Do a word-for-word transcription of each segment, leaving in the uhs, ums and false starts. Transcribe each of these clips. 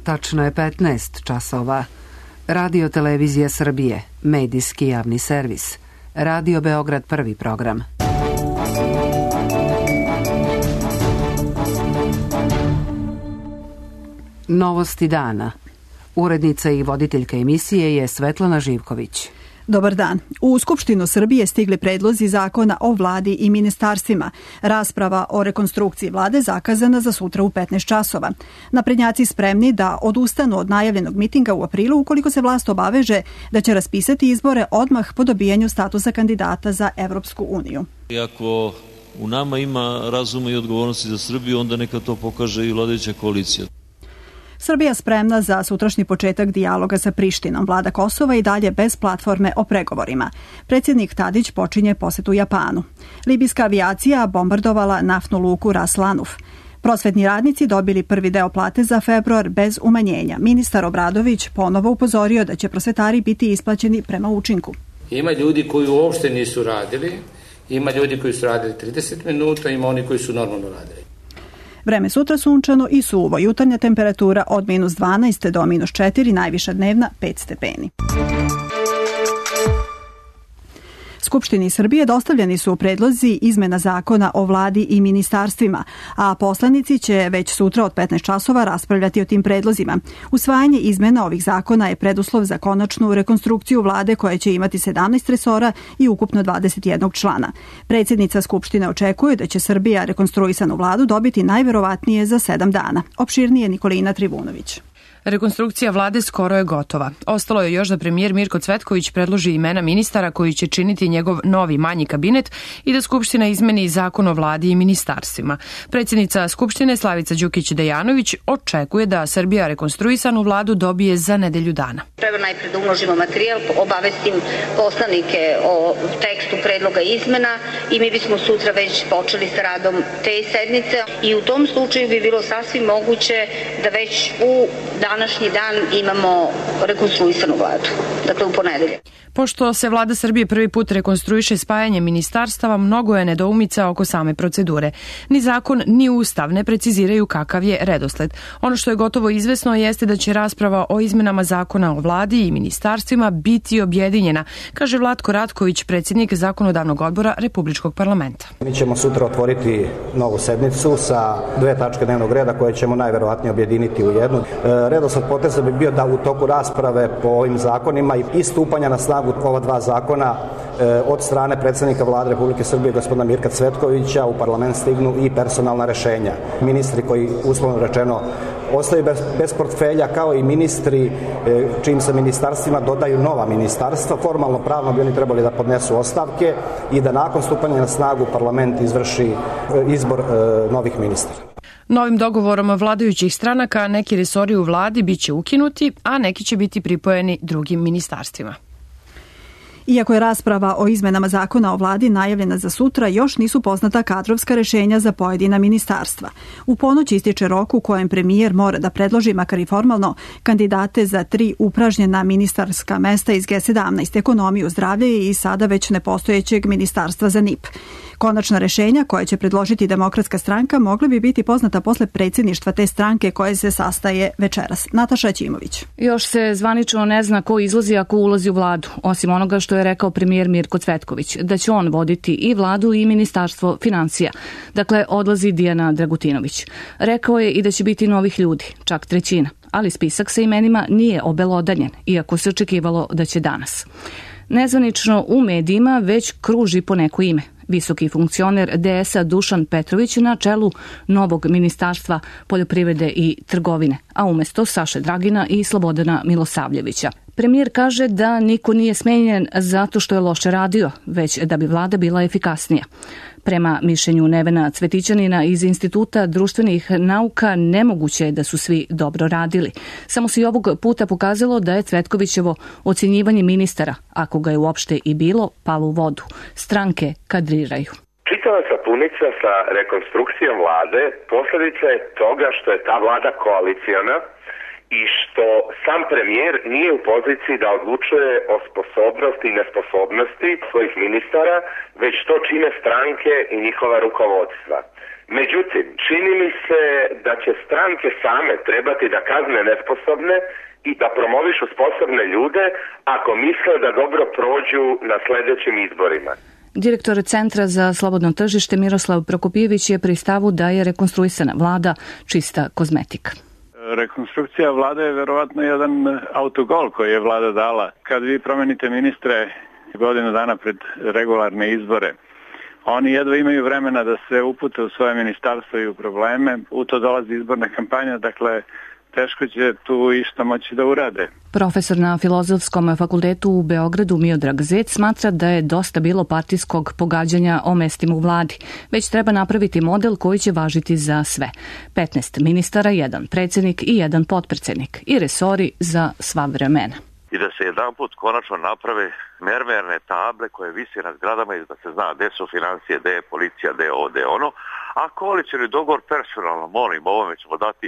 Tačno je petnaest časova. Radio Televizija Srbije, medijski javni servis. Radio Beograd prvi program. Novosti dana. Urednica i voditeljka emisije je Svetlana Živković. Dobar dan. U Skupštinu Srbije stigli predlozi zakona o vladi i ministarstvima. Rasprava o rekonstrukciji vlade zakazana za sutra u petnaest časova. Naprednjaci spremni da odustanu od najavljenog mitinga u aprilu ukoliko se vlast obaveže da će raspisati izbore odmah po dobijanju statusa kandidata za Evropsku uniju. Iako u nama ima razuma i odgovornosti za Srbiju, onda neka to pokaže i vladajuća koalicija. Srbija spremna za sutrašnji početak dijaloga sa Prištinom. Vlada Kosova i dalje bez platforme o pregovorima. Predsjednik Tadić počinje posetu Japanu. Libijska avijacija bombardovala naftnu luku Ras Lanuf. Prosvetni radnici dobili prvi deo plate za februar bez umanjenja. Ministar Obradović ponovo upozorio da će prosvetari biti isplaćeni prema učinku. Ima ljudi koji uopšte nisu radili, ima ljudi koji su radili trideset minuta, ima oni koji su normalno radili. Vreme sutra sunčano i suvo, jutarnja temperatura od minus dvanaest do minus četiri, najviša dnevna pet stepeni. Skupštini Srbije dostavljeni su predlozi izmena zakona o vladi i ministarstvima, a poslanici će već sutra od petnaest časova raspravljati o tim predlozima. Usvajanje izmena ovih zakona je preduslov za konačnu rekonstrukciju vlade koja će imati sedamnaest resora i ukupno dvadeset jedan člana. Predsjednica Skupštine očekuje da će Srbija rekonstruisanu vladu dobiti najverovatnije za sedam dana. Opširnije Nikolina Trivunović. Rekonstrukcija vlade skoro je gotova. Ostalo je još da premijer Mirko Cvetković predloži imena ministara koji će činiti njegov novi manji kabinet i da Skupština izmeni zakon o vladi i ministarstvima. Predsjednica Skupštine Slavica Đukić-Dejanović očekuje da Srbija rekonstruisanu vladu dobije za nedelju dana. Treba najpred da umnožimo materijal, obavestim poslanike o tekstu predloga izmena i mi bismo sutra već počeli sa radom te sednice i u tom slučaju bi bilo sasvim moguće da već u današnji dan imamo rekonstruisanu vladu, dakle u ponedeljak. Pošto se vlada Srbije prvi put rekonstruiše spajanjem ministarstava, mnogo je nedoumica oko same procedure. Ni zakon, ni ustav ne preciziraju kakav je redosled. Ono što je gotovo izvesno jeste da će rasprava o izmenama zakona o vladi i ministarstvima biti objedinjena, kaže Vlatko Ratković, predsjednik Zakonodavnog odbora Republičkog parlamenta. Mi ćemo sutra otvoriti novu sednicu sa dve tačke dnevnog reda koje ćemo najverovatnije objediniti u jednu. Redosled poteza bi bio da u toku rasprave po ovim zakonima i stupanja na snagu ova dva zakona od strane predsjednika Vlade Republike Srbije gospodina Mirka Cvetkovića u parlament stignu i personalna rešenja. Ministri koji uslovno rečeno ostaju bez, bez portfelja, kao i ministri čijim se ministarstvima dodaju nova ministarstva. Formalno pravno bi oni trebali da podnesu ostavke i da nakon stupanja na snagu parlament izvrši izbor novih ministara. Novim dogovorom vladajućih stranaka neki resori u vladi biće ukinuti, a neki će biti pripojeni drugim ministarstvima. Iako je rasprava o izmenama zakona o vladi najavljena za sutra, još nisu poznata kadrovska rešenja za pojedina ministarstva. U ponoć ističe rok u kojem premijer mora da predloži, makar i formalno, kandidate za tri upražnjena ministarska mesta iz G sedamnaest, ekonomiju, zdravlje i sada već nepostojećeg ministarstva za N I P. Konačna rešenja koje će predložiti Demokratska stranka mogla bi biti poznata posle predsjedništva te stranke koje se sastaje večeras. Nataša Ćimović. Još se zvanično ne zna ko izlazi ako ulazi u vladu, osim onoga što je rekao premijer Mirko Cvetković, da će on voditi i vladu i ministarstvo financija. Dakle, odlazi Dijana Dragutinović. Rekao je i da će biti novih ljudi, čak trećina, ali spisak sa imenima nije obelodanjen, iako se očekivalo da će danas. Nezvanično u medijima već kruži po neko ime. Visoki funkcioner D S-a Dušan Petrović na čelu novog ministarstva poljoprivrede i trgovine, a umjesto Saše Dragina i Slobodana Milosavljevića. Premijer kaže da niko nije smenjen zato što je loše radio, već da bi vlada bila efikasnija. Prema mišljenju Nevena Cvetićanina iz Instituta društvenih nauka, nemoguće je da su svi dobro radili. Samo se i ovog puta pokazalo da je Cvetkovićevo ocjenjivanje ministara, ako ga je uopšte i bilo, palo u vodu. Stranke kadriraju. Čitava sapunica sa rekonstrukcijom vlade posljedica je toga što je ta vlada koaliciona i što sam premijer nije u poziciji da odlučuje o sposobnosti i nesposobnosti svojih ministara, već to čine stranke i njihova rukovodstva. Međutim, čini mi se da će stranke same trebati da kazne nesposobne i da promovišu sposobne ljude ako misle da dobro prođu na sljedećim izborima. Direktor Centra za slobodno tržište Miroslav Prokopijević je pri stavu da je rekonstruisana vlada čista kozmetika. Rekonstrukcija vlade je verovatno jedan autogol koji je vlada dala. Kad vi promenite ministre godinu dana pred regularne izbore, oni jedva imaju vremena da se upute u svoje ministarstvo i u probleme. U to dolazi izborna kampanja, dakle teško će tu išta moći da urade. Profesor na Filozofskom fakultetu u Beogradu Miodrag Zec smatra da je dosta bilo partijskog pogađanja o mestima u vladi, već treba napraviti model koji će važiti za sve. petnaest ministara, jedan predsjednik i jedan potpredsjednik i resori za sva vremena. I da se jedan put konačno naprave mermerne table koje visi na zgradama i da se zna gde su financije, gde je policija, gde je ovo, gde je ono. A koalicioni dogovor personalno, molim, ovome ćemo dati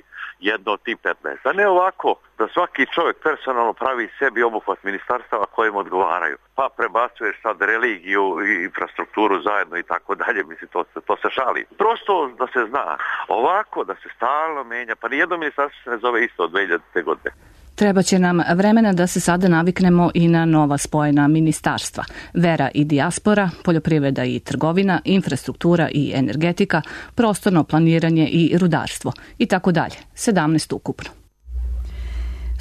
jedno od tih petnaest. A ne ovako da svaki čovjek personalno pravi sebi obuhvat ministarstava kojim odgovaraju. Pa prebacuješ sad religiju i infrastrukturu zajedno i tako dalje, mislim, to, to se šali. Prosto da se zna, ovako da se stalno menja, pa nijedno ministarstvo se ne zove isto od dve hiljadite. godine. Treba će nam vremena da se sada naviknemo i na nova spojena ministarstva. Vera i dijaspora, poljoprivreda i trgovina, infrastruktura i energetika, prostorno planiranje i rudarstvo i tako dalje. sedamnaest ukupno.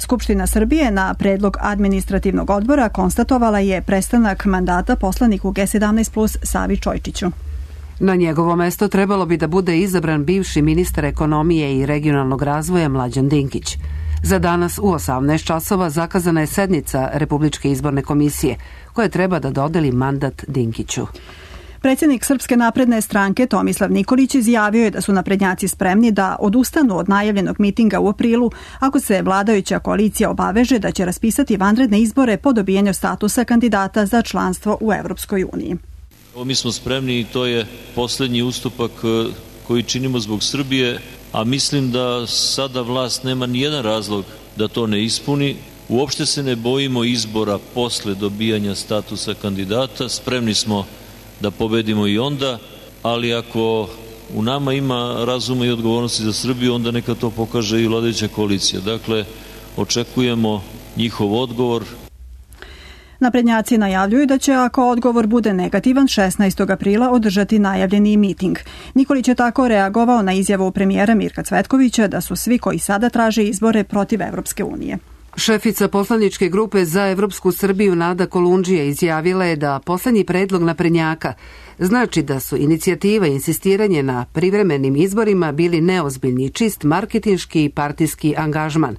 Skupština Srbije na predlog administrativnog odbora konstatovala je prestanak mandata poslaniku G sedamnaest plus Savi Čojčiću. Na njegovo mesto trebalo bi da bude izabran bivši ministar ekonomije i regionalnog razvoja Mlađan Dinkić. Za danas u osamnaest časova zakazana je sednica Republičke izborne komisije, koja treba da dodeli mandat Dinkiću. Predsjednik Srpske napredne stranke Tomislav Nikolić izjavio je da su naprednjaci spremni da odustanu od najavljenog mitinga u aprilu ako se vladajuća koalicija obaveže da će raspisati vanredne izbore po dobijanju statusa kandidata za članstvo u Evropskoj uniji. Mi smo spremni i to je posljednji ustupak koji činimo zbog Srbije, a mislim da sada vlast nema nijedan razlog da to ne ispuni. Uopšte se ne bojimo izbora posle dobijanja statusa kandidata, spremni smo da pobedimo i onda, ali ako u nama ima razuma i odgovornosti za Srbiju, onda neka to pokaže i vladajuća koalicija. Dakle, očekujemo njihov odgovor. Naprednjaci najavljuju da će, ako odgovor bude negativan, šesnaestog aprila održati najavljeni miting. Nikolić je tako reagovao na izjavu premijera Mirka Cvetkovića da su svi koji sada traže izbore protiv Evropske unije. Šefica poslaničke grupe za Evropsku Srbiju Nada Kolundžija izjavila je da poslednji predlog naprednjaka znači da su inicijativa i insistiranje na privremenim izborima bili neozbiljni, čist marketinški i partijski angažman.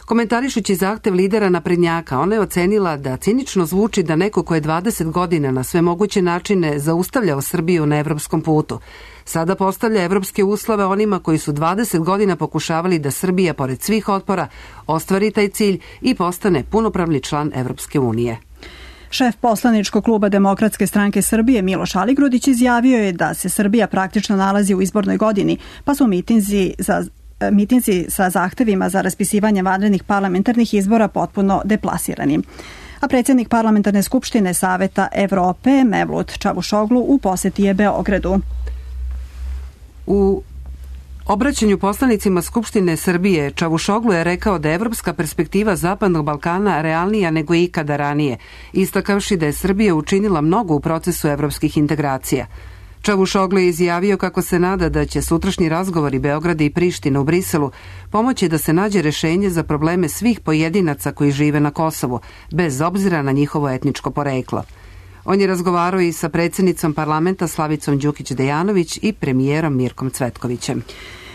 Komentarišući zahtev lidera naprednjaka, ona je ocenila da cinično zvuči da neko ko je dvadeset godina na sve moguće načine zaustavljao Srbiju na evropskom putu, sada postavlja evropske uslove onima koji su dvadeset godina pokušavali da Srbija, pored svih otpora, ostvari taj cilj i postane punopravni član Evropske unije. Šef poslaničkog kluba Demokratske stranke Srbije Miloš Aligrudić izjavio je da se Srbija praktično nalazi u izbornoj godini, pa su mitinzi za mitinzi sa zahtevima za raspisivanje vanrednih parlamentarnih izbora potpuno deplasirani. A predsjednik parlamentarne skupštine Saveta Evrope Mevlut Čavušoglu u poseti je Beogradu. U obraćanju poslanicima Skupštine Srbije Čavušoglu je rekao da je evropska perspektiva Zapadnog Balkana realnija nego ikada ranije, istakavši da je Srbija učinila mnogo u procesu evropskih integracija. Čavušoglu je izjavio kako se nada da će sutrašnji razgovori Beograda i Prištine u Briselu pomoći da se nađe rešenje za probleme svih pojedinaca koji žive na Kosovu, bez obzira na njihovo etničko poreklo. On je razgovarao i sa predsjednicom parlamenta Slavicom Đukić-Dejanović i premijerom Mirkom Cvetkovićem.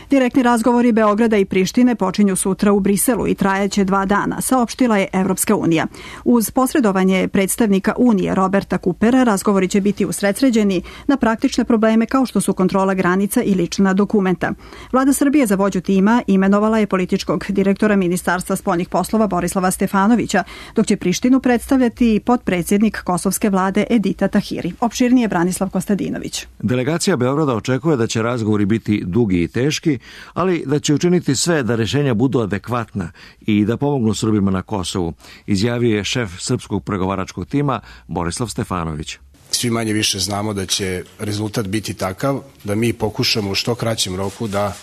Direktni razgovori Beograda i Prištine počinju sutra u Briselu i trajaće dva dana, saopštila je Evropska unija. Uz posredovanje predstavnika Unije Roberta Kupera, razgovori će biti usredsređeni na praktične probleme kao što su kontrola granica i lična dokumenta. Vlada Srbije za vođu tima imenovala je političkog direktora Ministarstva spoljnih poslova Borislava Stefanovića, dok će Prištinu predstavljati potpredsjednik kosovske vlade Edita Tahiri. Opširnije Branislav Kostadinović. Delegacija Beograda očekuje da će razgovori biti dugi i teški, Evropi, ali da će učiniti sve da rešenja budu adekvatna i da pomognu Srbima na Kosovu, izjavio je šef srpskog pregovaračkog tima Borislav Stefanović. Svi manje više znamo da će rezultat biti takav da mi pokušamo u što kraćem roku da,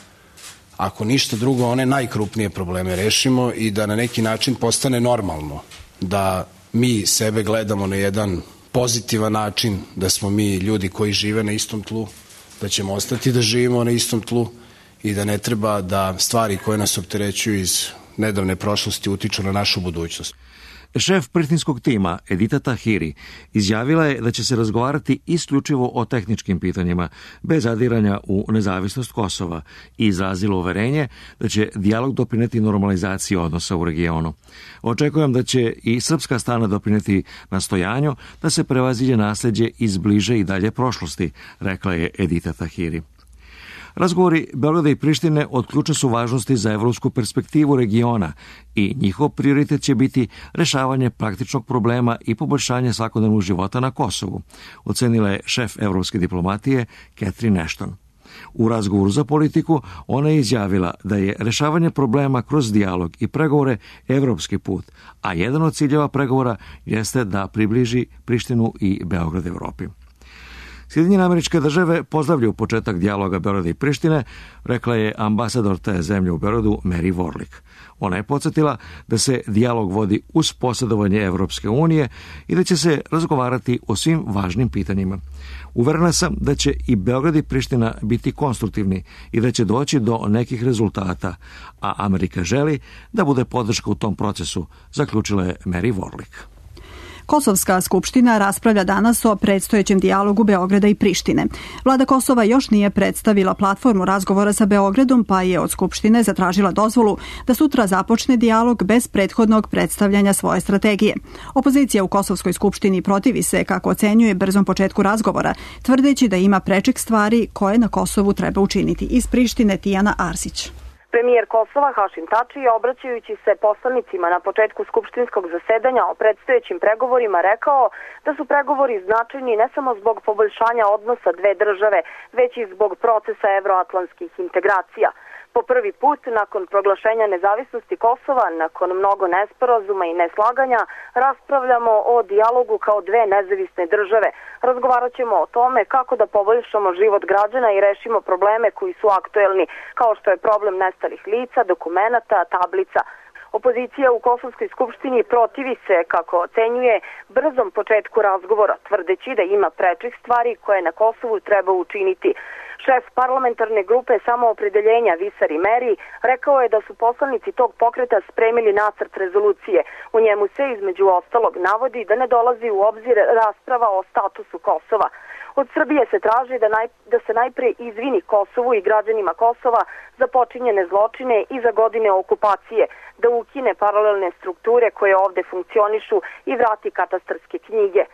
ako ništa drugo, one najkrupnije probleme rešimo i da na neki način postane normalno da mi sebe gledamo na jedan pozitivan način, da smo mi ljudi koji žive na istom tlu, da ćemo ostati da živimo na istom tlu i da ne treba da stvari koje nas opterećuju iz nedavne prošlosti utiču na našu budućnost. Šef prištinskog tima Edita Tahiri izjavila je da će se razgovarati isključivo o tehničkim pitanjima, bez zadiranja u nezavisnost Kosova i izrazila uverenje da će dijalog doprineti normalizaciji odnosa u regionu. Očekujem da će i srpska strana doprineti nastojanju da se prevaziđe nasleđe iz bliže i dalje prošlosti, rekla je Edita Tahiri. Razgovori Beograda i Prištine od ključne su važnosti za evropsku perspektivu regiona i njihov prioritet će biti rešavanje praktičnog problema i poboljšanje svakodnevnog života na Kosovu, ocenila je šef evropske diplomatije Catherine Ashton. U razgovoru za politiku ona je izjavila da je rešavanje problema kroz dijalog i pregovore evropski put, a jedan od ciljeva pregovora jeste da približi Prištinu i Beograd Evropi. Sjedinjene Američke Države pozdravljaju početak dijaloga Beograda i Prištine, rekla je ambasador te zemlje u Beogradu Mary Warlick. Ona je podsjetila da se dijalog vodi uz posredovanje Evropske unije i da će se razgovarati o svim važnim pitanjima. Uverena sam da će i Beograd i Priština biti konstruktivni i da će doći do nekih rezultata, a Amerika želi da bude podrška u tom procesu, zaključila je Mary Warlick. Kosovska skupština raspravlja danas o predstojećem dijalogu Beograda i Prištine. Vlada Kosova još nije predstavila platformu razgovora sa Beogradom, pa je od skupštine zatražila dozvolu da sutra započne dijalog bez prethodnog predstavljanja svoje strategije. Opozicija u Kosovskoj skupštini protivi se, kako ocenjuje, brzom početku razgovora, tvrdeći da ima prečih stvari koje na Kosovu treba učiniti. Iz Prištine Tijana Arsić. Premijer Kosova Hašim Tači, obraćajući se poslanicima na početku skupštinskog zasedanja o predstojećim pregovorima, rekao da su pregovori značajni ne samo zbog poboljšanja odnosa dve države, već i zbog procesa evroatlantskih integracija. Po prvi put, nakon proglašenja nezavisnosti Kosova, nakon mnogo nesporazuma i neslaganja, raspravljamo o dijalogu kao dve nezavisne države. Razgovarat ćemo o tome kako da poboljšamo život građana i rešimo probleme koji su aktuelni, kao što je problem nestalih lica, dokumenata, tablica. Opozicija u Kosovskoj skupštini protivi se, kako ocenjuje, brzom početku razgovora, tvrdeći da ima prečih stvari koje na Kosovu treba učiniti. Šef parlamentarne grupe Samoopredeljenja Visar Meri rekao je da su poslanici tog pokreta spremili nacrt rezolucije. U njemu se između ostalog navodi da ne dolazi u obzir rasprava o statusu Kosova. Od Srbije se traži da, naj, da se najpre izvini Kosovu i građanima Kosova za počinjene zločine i za godine okupacije, da ukine paralelne strukture koje ovde funkcionišu i vrati katastarske knjige.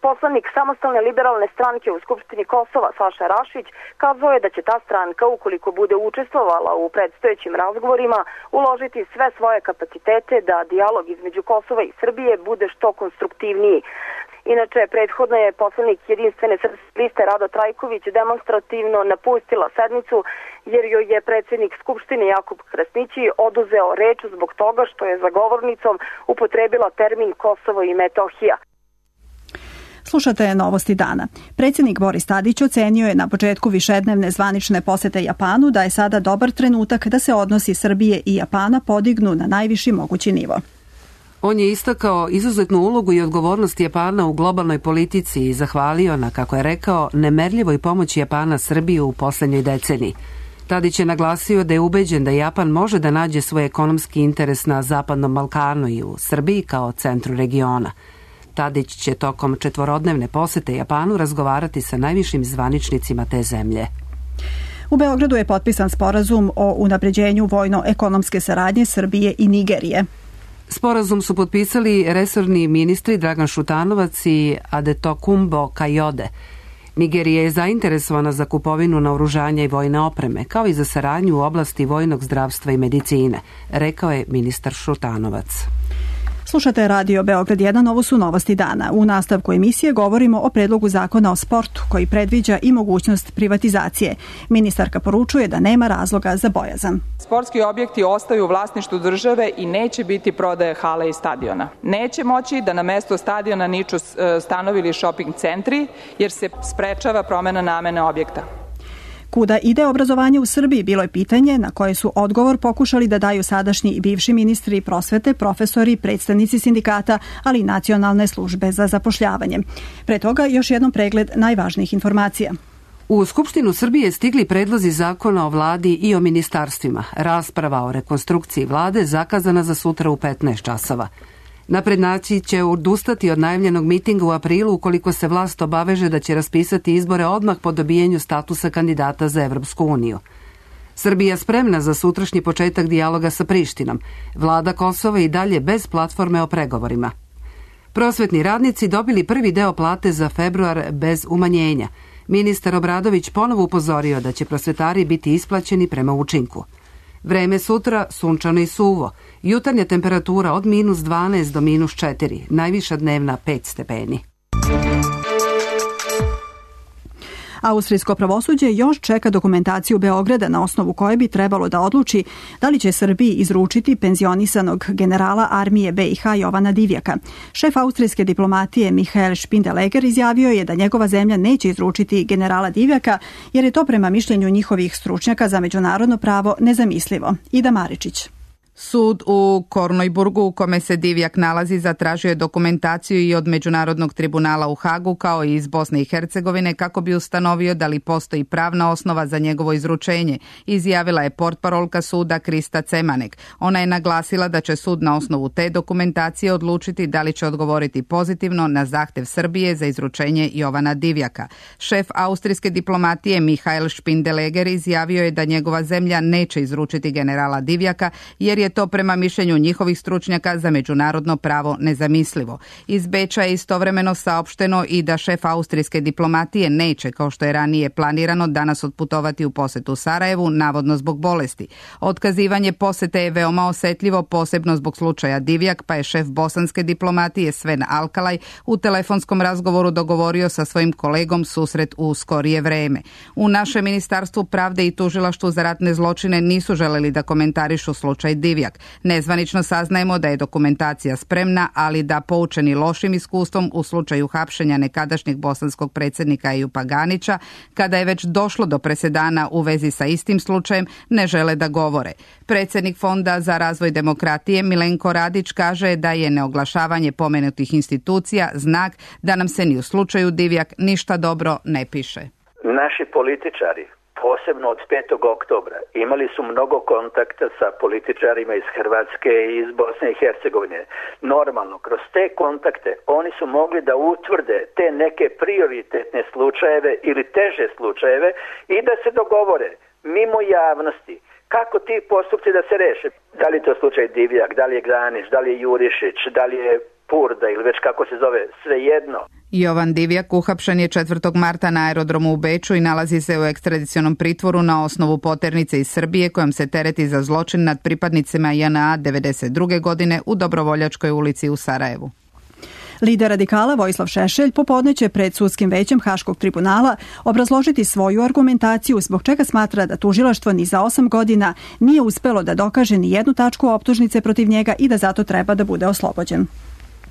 Poslanik Samostalne liberalne stranke u Skupštini Kosova Saša Rašić kazao je da će ta stranka, ukoliko bude učestvovala u predstojećim razgovorima, uložiti sve svoje kapacitete da dijalog između Kosova i Srbije bude što konstruktivniji. Inače, prethodno je poslanik Jedinstvene srpske liste Rado Trajković demonstrativno napustila sednicu jer joj je predsjednik Skupštine Jakub Krasnići oduzeo reč zbog toga što je za govornicom upotrebila termin Kosovo i Metohija. Slušate Novosti dana. Predsjednik Boris Tadić ocenio je na početku višednevne zvanične posete Japanu da je sada dobar trenutak da se odnosi Srbije i Japana podignu na najviši mogući nivo. On je istakao izuzetnu ulogu i odgovornost Japana u globalnoj politici i zahvalio na, kako je rekao, nemerljivoj pomoći Japana Srbiju u poslednjoj deceniji. Tadić je naglasio da je ubeđen da Japan može da nađe svoj ekonomski interes na Zapadnom Balkanu i u Srbiji kao centru regiona. Tadić će tokom četvorodnevne posete Japanu razgovarati sa najvišim zvaničnicima te zemlje. U Beogradu je potpisan sporazum o unapređenju vojno-ekonomske saradnje Srbije i Nigerije. Sporazum su potpisali resorni ministri Dragan Šutanovac i Adetokumbo Kajode. Nigerija je zainteresovana za kupovinu naoružanja i vojne opreme, kao i za saradnju u oblasti vojnog zdravstva i medicine, rekao je ministar Šutanovac. Slušate Radio Beograd jedan, ovo su novosti dana. U nastavku emisije govorimo o predlogu zakona o sportu koji predviđa i mogućnost privatizacije. Ministarka poručuje da nema razloga za bojazan. Sportski objekti ostaju u vlasništvu države i neće biti prodaje hale i stadiona. Neće moći da na mesto stadiona niču stanovi ili shopping centri jer se sprečava promena namene objekta. Kuda ide obrazovanje u Srbiji bilo je pitanje na koje su odgovor pokušali da daju sadašnji i bivši ministri prosvete, profesori, predstavnici sindikata, ali i Nacionalne službe za zapošljavanje. Pre toga još jednom pregled najvažnijih informacija. U Skupštinu Srbije stigli predlozi zakona o vladi i o ministarstvima. Rasprava o rekonstrukciji vlade zakazana za sutra u petnaest časova. Naprednjaci će odustati od najavljenog mitinga u aprilu ukoliko se vlast obaveže da će raspisati izbore odmah po dobijenju statusa kandidata za Evropsku uniju. Srbija spremna za sutrašnji početak dijaloga sa Prištinom. Vlada Kosova i dalje bez platforme o pregovorima. Prosvetni radnici dobili prvi deo plate za februar bez umanjenja. Ministar Obradović ponovo upozorio da će prosvetari biti isplaćeni prema učinku. Vreme sutra sunčano i suvo. Jutarnja temperatura od minus dvanaest do minus četiri, najviša dnevna pet stepeni. Austrijsko pravosuđe još čeka dokumentaciju Beograda na osnovu koje bi trebalo da odluči da li će Srbiji izručiti penzionisanog generala armije be i ha Jovana Divjaka. Šef austrijske diplomatije Michael Spindeleger izjavio je da njegova zemlja neće izručiti generala Divjaka jer je to prema mišljenju njihovih stručnjaka za međunarodno pravo nezamislivo. Ida Maričić. Sud u Kornojburgu u kome se Divjak nalazi zatražio je dokumentaciju i od Međunarodnog tribunala u Hagu kao i iz Bosne i Hercegovine kako bi ustanovio da li postoji pravna osnova za njegovo izručenje, izjavila je portparolka suda Krista Cemanek. Ona je naglasila da će sud na osnovu te dokumentacije odlučiti da li će odgovoriti pozitivno na zahtev Srbije za izručenje Jovana Divjaka. Šef austrijske diplomatije Michael Spindeleger izjavio je da njegova zemlja neće izručiti generala Divjaka jer je to prema mišljenju njihovih stručnjaka za međunarodno pravo nezamislivo. Iz Beča je istovremeno saopšteno i da šef austrijske diplomatije neće, kao što je ranije planirano, danas otputovati u posetu Sarajevu, navodno zbog bolesti. Otkazivanje posete je veoma osetljivo, posebno zbog slučaja Divjak, pa je šef bosanske diplomatije Sven Alkalaj u telefonskom razgovoru dogovorio sa svojim kolegom susret u skorije vreme. U našem Ministarstvu pravde i Tužilaštvu za ratne zločine nisu želeli da komentarišu slučaj Divjak. Nezvanično saznajemo da je dokumentacija spremna, ali da poučeni lošim iskustvom u slučaju hapšenja nekadašnjeg bosanskog predsjednika Ejupa Ganića, kada je već došlo do presedana u vezi sa istim slučajem, ne žele da govore. Predsjednik Fonda za razvoj demokratije Milenko Radić kaže da je neoglašavanje pomenutih institucija znak da nam se ni u slučaju Divjak ništa dobro ne piše. Naši političari, posebno od petog oktobra, imali su mnogo kontakta sa političarima iz Hrvatske i iz Bosne i Hercegovine. Normalno, kroz te kontakte oni su mogli da utvrde te neke prioritetne slučajeve ili teže slučajeve i da se dogovore mimo javnosti kako ti postupci da se reše. Da li je to slučaj Divjak, da li je Granić, da li je Jurišić, da li je Purda ili već kako se zove, svejedno. Jovan Divjak uhapšen je četvrtog marta na aerodromu u Beču i nalazi se u ekstradicionom pritvoru na osnovu poternice iz Srbije kojom se tereti za zločin nad pripadnicima J N A devedeset druge godine u Dobrovoljačkoj ulici u Sarajevu. Lider radikala Vojislav Šešelj popodne će pred sudskim većem Haškog tribunala obrazložiti svoju argumentaciju zbog čega smatra da tužilaštvo ni za osam godina nije uspelo da dokaže ni jednu tačku optužnice protiv njega i da zato treba da bude oslobođen.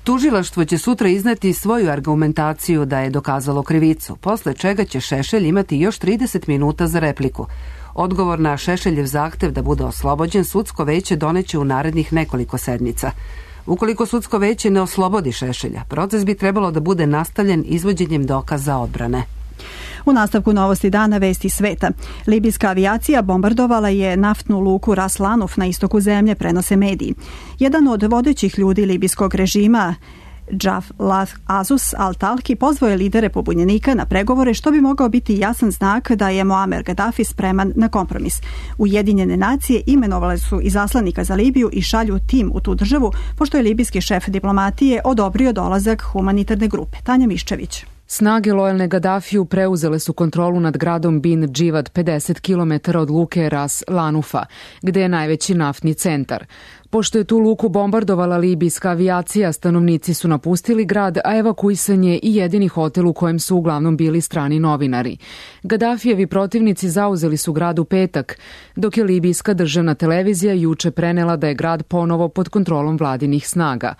Tužilaštvo će sutra izneti svoju argumentaciju da je dokazalo krivicu, posle čega će Šešelj imati još trideset minuta za repliku. Odgovor na Šešeljev zahtev da bude oslobođen sudsko veće doneće u narednih nekoliko sedmica. Ukoliko sudsko veće ne oslobodi Šešelja, proces bi trebalo da bude nastavljen izvođenjem dokaza odbrane. U nastavku novosti dana vesti sveta. Libijska avijacija bombardovala je naftnu luku Ras Lanuf na istoku zemlje, prenose mediji. Jedan od vodećih ljudi libijskog režima, Džaflath Azus al-Talki, pozvao je lidere pobunjenika na pregovore što bi mogao biti jasan znak da je Muamer Gaddafi spreman na kompromis. Ujedinjene nacije imenovale su izaslanika za Libiju i šalju tim u tu državu, pošto je libijski šef diplomatije odobrio dolazak humanitarne grupe. Tanja Miščević. Snage lojalne Gadafiju preuzele su kontrolu nad gradom Bin Dživad pedeset kilometara od luke Ras Lanufa, gde je najveći naftni centar. Pošto je tu luku bombardovala libijska avijacija, stanovnici su napustili grad, a evakuisan je i jedini hotel u kojem su uglavnom bili strani novinari. Gadafijevi protivnici zauzeli su grad u petak, dok je libijska državna televizija juče prenela da je grad ponovo pod kontrolom vladinih snaga.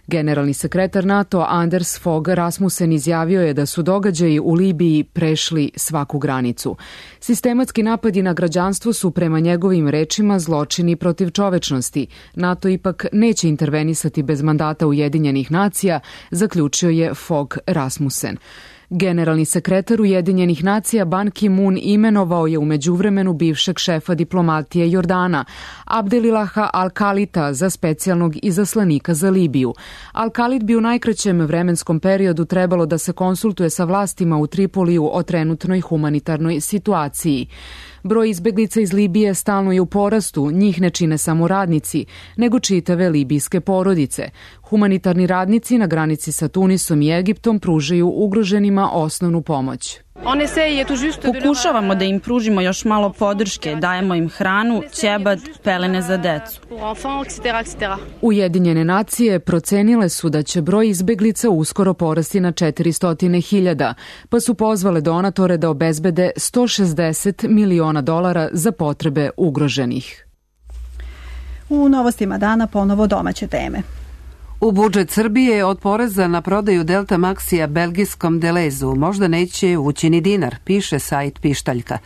Generalni sekretar NATO Anders Fogh Rasmussen izjavio je da su događaji u Libiji prešli svaku granicu. Sistematski napadi na građanstvo su prema njegovim rečima zločini protiv čovečnosti. NATO ipak neće intervenisati bez mandata Ujedinjenih nacija, zaključio je Fogh Rasmussen. Generalni sekretar Ujedinjenih nacija Ban Ki-moon imenovao je u međuvremenu bivšeg šefa diplomatije Jordana, Abdelilaha Al-Kalita, za specijalnog izaslanika za Libiju. Al-Kalit bi u najkraćem vremenskom periodu trebalo da se konsultuje sa vlastima u Tripoliju o trenutnoj humanitarnoj situaciji. Broj izbeglica iz Libije stalno je u porastu, njih ne čine samo radnici, nego čitave libijske porodice. Humanitarni radnici na granici sa Tunisom i Egiptom pružaju ugroženima osnovnu pomoć. Pokušavamo da im pružimo još malo podrške, dajemo im hranu, ćebad, pelene za decu. Ujedinjene nacije procenile su da će broj izbeglica uskoro porasti na četiristo hiljada, pa su pozvale donatore da obezbede sto šezdeset miliona dolara za potrebe ugroženih. U novostima dana ponovo domaće teme. U budžet Srbije od poreza na prodaju Delta Maxija belgijskom Delezu možda neće ući ni dinar, piše sajt Pištaljka.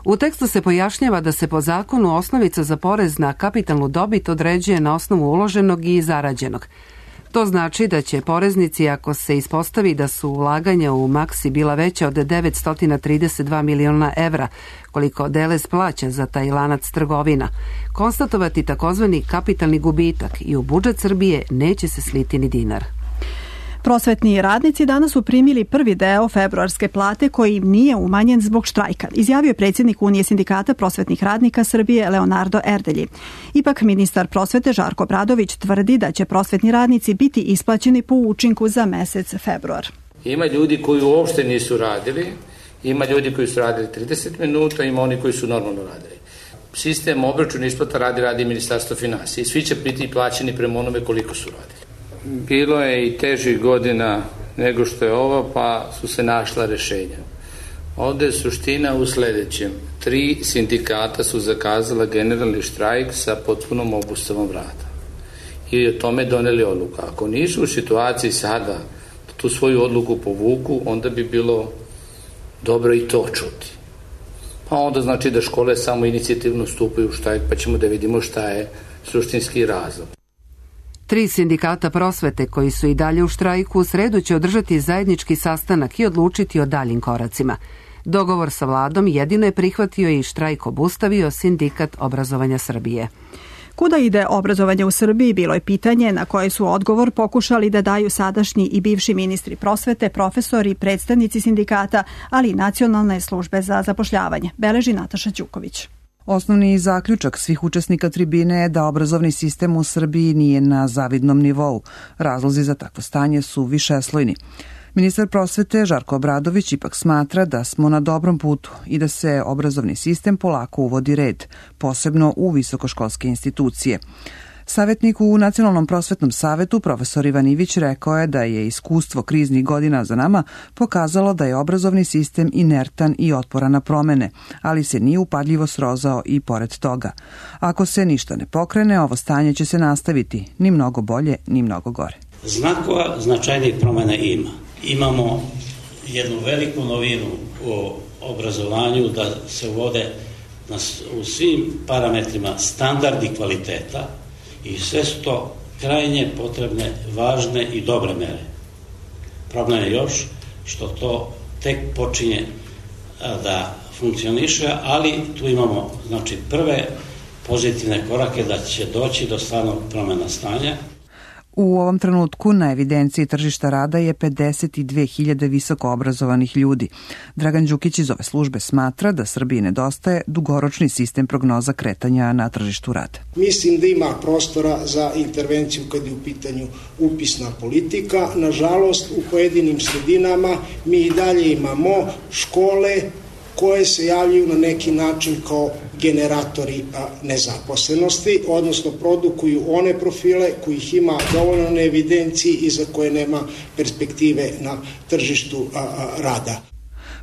U tekstu se pojašnjava da se po zakonu osnovica za porez na kapitalnu dobit određuje na osnovu uloženog i zarađenog. To znači da će poreznici, ako se ispostavi da su ulaganja u Maxi bila veća od devetsto trideset dva miliona evra, koliko Delez plaća za taj lanac trgovina, konstatovati takozvani kapitalni gubitak i u budžet Srbije neće se sliti ni dinar. Prosvetni radnici danas su primili prvi deo februarske plate koji im nije umanjen zbog štrajka, izjavio je predsjednik Unije sindikata prosvetnih radnika Srbije Leonardo Erdelji. Ipak ministar prosvete Žarko Obradović tvrdi da će prosvetni radnici biti isplaćeni po učinku za mesec februar. Ima ljudi koji uopšte nisu radili, ima ljudi koji su radili trideset minuta, ima oni koji su normalno radili. Sistem obračuna isplata radi radi Ministarstvo finansija i svi će biti plaćeni prema onome koliko su radili. Bilo je i težih godina nego što je ovo, pa su se našla rešenja. Ovde je suština u sledećem. Tri sindikata su zakazala generalni štrajk sa potpunom obustavom rada. I o tome doneli odluku. Ako nisu u situaciji sada da tu svoju odluku povuku, onda bi bilo dobro i to čuti. Pa onda znači da škole samo inicijativno stupaju u štrajk, pa ćemo da vidimo šta je suštinski razlog. Tri sindikata prosvete koji su i dalje u štrajku u sredu će održati zajednički sastanak i odlučiti o daljim koracima. Dogovor sa vladom jedino je prihvatio i štrajk obustavio Sindikat obrazovanja Srbije. Kuda ide obrazovanje u Srbiji bilo je pitanje na koje su odgovor pokušali da daju sadašnji i bivši ministri prosvete, profesori, predstavnici sindikata, ali i Nacionalne službe za zapošljavanje, beleži Nataša Ćuković. Osnovni zaključak svih učesnika tribine je da obrazovni sistem u Srbiji nije na zavidnom nivou. Razlozi za takvo stanje su višeslojni. Ministar prosvete Žarko Obradović ipak smatra da smo na dobrom putu i da se obrazovni sistem polako uvodi red, posebno u visokoškolske institucije. Savetnik u Nacionalnom prosvetnom savetu, profesor Ivan Ivić, rekao je da je iskustvo kriznih godina za nama pokazalo da je obrazovni sistem inertan i otporan na promene, ali se nije upadljivo srozao i pored toga. Ako se ništa ne pokrene, ovo stanje će se nastaviti, ni mnogo bolje, ni mnogo gore. Znakova značajnih promena ima. Imamo jednu veliku novinu u obrazovanju da se uvode u svim parametrima standardi kvaliteta, i sve su to krajnje potrebne, važne i dobre mere. Problem je još što to tek počinje da funkcioniše, ali tu imamo znači, prve pozitivne korake da će doći do stvarnog promena stanja. U ovom trenutku na evidenciji tržišta rada je pedeset dve hiljade visoko obrazovanih ljudi. Dragan Đukić iz ove službe smatra da Srbiji nedostaje dugoročni sistem prognoza kretanja na tržištu rada. Mislim da ima prostora za intervenciju kad je u pitanju upisna politika. Nažalost, u pojedinim sredinama mi i dalje imamo škole koje se javljaju na neki način kao generatori nezaposlenosti, odnosno produkuju one profile kojih ima dovoljno na evidenciji i za koje nema perspektive na tržištu rada.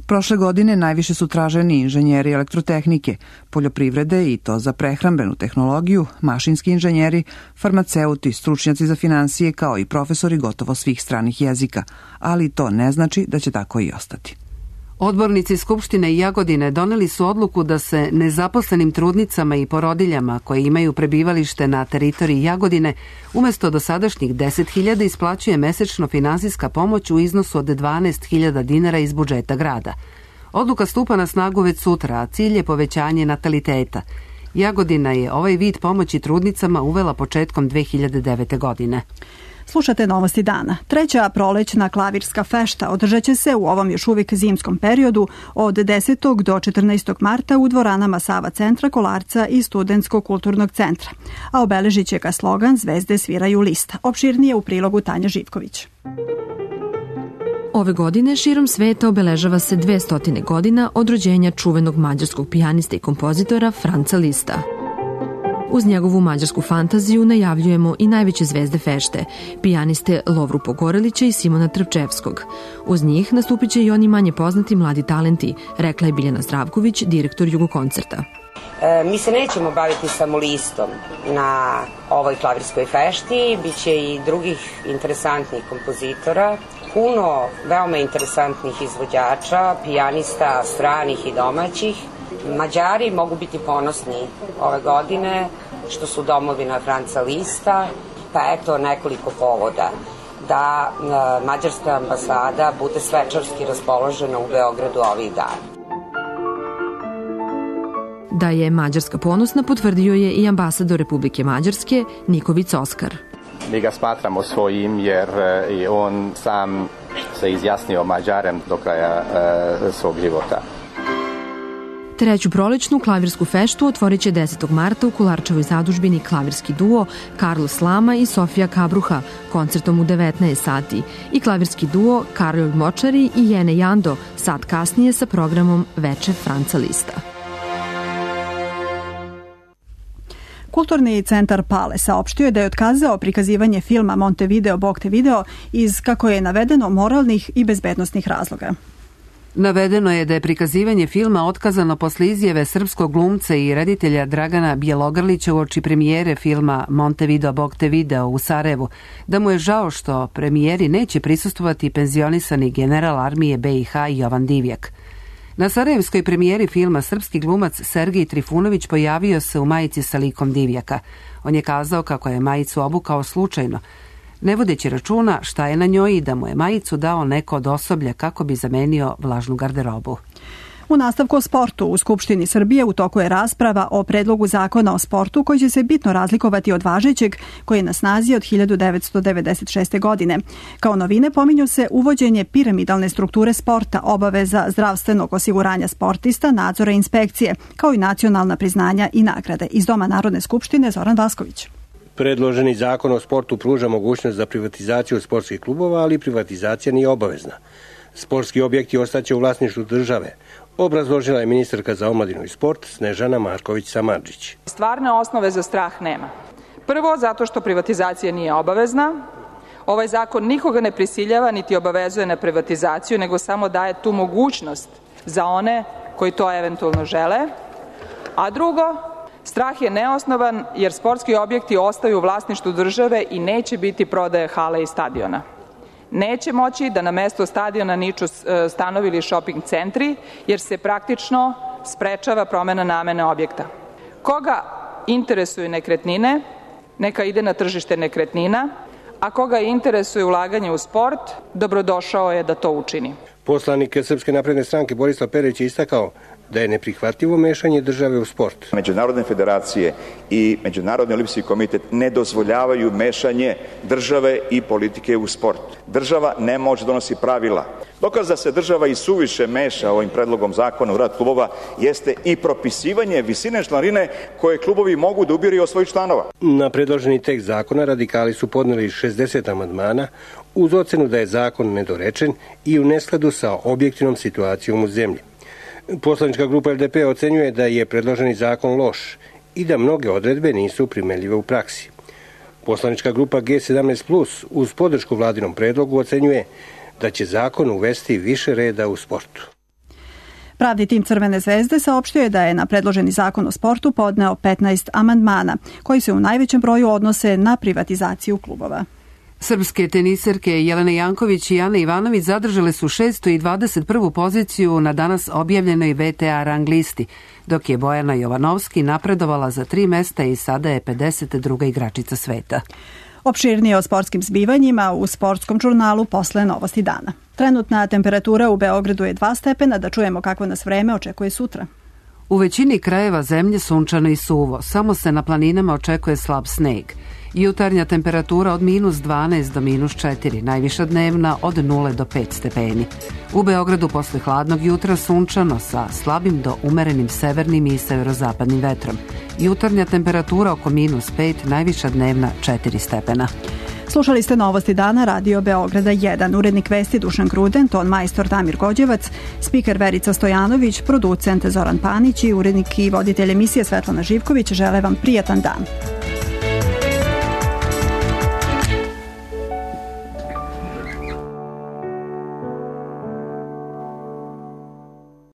Prošle godine najviše su traženi inženjeri elektrotehnike, poljoprivrede i to za prehrambenu tehnologiju, mašinski inženjeri, farmaceuti, stručnjaci za finansije kao i profesori gotovo svih stranih jezika, ali to ne znači da će tako i ostati. Odbornici Skupštine Jagodine doneli su odluku da se nezaposlenim trudnicama i porodiljama koje imaju prebivalište na teritoriji Jagodine umesto dosadašnjih deset hiljada isplaćuje mesečno finansijska pomoć u iznosu od dvanaest hiljada dinara iz budžeta grada. Odluka stupa na snagu već sutra, a cilj je povećanje nataliteta. Jagodina je ovaj vid pomoći trudnicama uvela početkom dve hiljade devete. godine. Slušate Novosti dana. Treća prolećna klavirska fešta održat će se u ovom još uvijek zimskom periodu od desetog do četrnaestog marta u dvoranama Sava centra, Kolarca i Studentskog kulturnog centra. A obeležit će ga slogan Zvezde sviraju lista. Opširnije u prilogu Tanja Živković. Ove godine širom sveta obeležava se dvesta godina od rođenja čuvenog mađarskog pijanista i kompozitora Franca Lista. Uz njegovu mađarsku fantaziju najavljujemo i najveće zvezde fešte, pijaniste Lovru Pogorelića i Simona Trpčevskog. Uz njih nastupit će i oni manje poznati mladi talenti, rekla je Biljana Zdravković, direktor Jugokoncerta. E, mi se nećemo baviti samo listom na ovoj klavirskoj fešti, bit će i drugih interesantnih kompozitora, puno veoma interesantnih izvođača, pijanista stranih i domaćih. Mađari mogu biti ponosni ove godine što su domovina Franca Lista, pa eto nekoliko povoda da e, mađarska ambasada bude svečarski raspoložena u Beogradu ovih dana. Da je Mađarska ponosna potvrdio je i ambasador Republike Mađarske Nikovic Oskar. Mi ga smatramo svojim jer je on sam se izjasnio Mađarem do kraja e, svog života. Treću prolećnu klavirsku feštu otvorit će desetog marta u Kolarčevoj zadužbini klavirski duo Carlos Lama i Sofija Kabruha koncertom u devetnaest sati i klavirski duo Karol Močari i Jene Jando sat kasnije sa programom Veče Franca Lista. Kulturni centar Pale saopštio je da je otkazao prikazivanje filma Montevideo Bog te video iz, kako je navedeno, moralnih i bezbednostnih razloga. Navedeno je da je prikazivanje filma otkazano posle izjave srpskog glumca i reditelja Dragana Bjelogrlića uoči premijere filma Montevideo Bog te video u Sarajevu, da mu je žao što premijeri neće prisustvovati penzionisani general armije be i ha Jovan Divjak. Na sarajevskoj premijeri filma srpski glumac Sergej Trifunović pojavio se u majici sa likom Divjaka. On je kazao kako je majicu obukao slučajno, ne vodeći računa šta je na njoj i da mu je majicu dao neko od osoblja kako bi zamenio vlažnu garderobu. U nastavku o sportu u Skupštini Srbije u toku je rasprava o predlogu zakona o sportu koji će se bitno razlikovati od važećeg koji je na snazi od hiljadu devetsto devedeset šeste. godine. Kao novine pominju se uvođenje piramidalne strukture sporta, obaveza zdravstvenog osiguranja sportista, nadzora i inspekcije, kao i nacionalna priznanja i nagrade. Iz Doma Narodne skupštine Zoran Vasković. Predloženi zakon o sportu pruža mogućnost za privatizaciju sportskih klubova, ali privatizacija nije obavezna. Sportski objekti ostaće u vlasništvu države, obrazložila je ministarka za omladinu i sport Snežana Marković-Samardžić. Stvarne osnove za strah nema. Prvo, zato što privatizacija nije obavezna. Ovaj zakon nikoga ne prisiljava niti obavezuje na privatizaciju, nego samo daje tu mogućnost za one koji to eventualno žele. A drugo, strah je neosnovan jer sportski objekti ostaju u vlasništvu države i neće biti prodaje hale i stadiona. Neće moći da na mesto stadiona niču stanovi ili shopping centri, jer se praktično sprečava promena namene objekta. Koga interesuju nekretnine, neka ide na tržište nekretnina, a koga interesuje ulaganje u sport, dobrodošao je da to učini. Poslanik Srpske napredne stranke Borislav Perić je istakao da je neprihvatljivo mešanje države u sport. Međunarodne federacije i Međunarodni olimpijski komitet ne dozvoljavaju mešanje države i politike u sport. Država ne može donosi pravila. Dokaz da se država i suviše meša ovim predlogom zakona u rad klubova jeste i propisivanje visine članarine koje klubovi mogu da ubiru od svojih članova. Na predloženi tekst zakona radikali su podneli šezdeset amandmana uz ocenu da je zakon nedorečen i u neskladu sa objektivnom situacijom u zemlji. Poslanička grupa L D P ocenjuje da je predloženi zakon loš i da mnoge odredbe nisu primenljive u praksi. Poslanička grupa G sedamnaest plus uz podršku vladinom predlogu ocenjuje da će zakon uvesti više reda u sportu. Pravni tim Crvene zvezde saopštio da je na predloženi zakon o sportu podneo petnaest amandmana, koji se u najvećem broju odnose na privatizaciju klubova. Srpske teniserke Jelena Janković i Ana Ivanović zadržale su šestu i dvadeset prvu poziciju na danas objavljenoj V T A rang listi, dok je Bojana Jovanovski napredovala za tri mesta i sada je pedeset druga igračica sveta. Opširnije o sportskim zbivanjima u sportskom žurnalu posle Novosti dana. Trenutna temperatura u Beogradu je dva stepena, da čujemo kako nas vreme očekuje sutra. U većini krajeva zemlje sunčano i suvo, samo se na planinama očekuje slab sneg. Jutarnja temperatura od minus dvanaest do minus četiri, najviša dnevna od nula do pet stepeni. U Beogradu posle hladnog jutra sunčano sa slabim do umerenim severnim i severozapadnim vetrom. Jutarnja temperatura oko minus pet, najviša dnevna četiri stepena. Slušali ste Novosti dana Radio Beograda jedan, urednik vesti Dušan Gruden, ton majstor Damir Gođevac, spiker Verica Stojanović, producent Zoran Panić i urednik i voditelj emisije Svetlana Živković. Žele vam prijatan dan.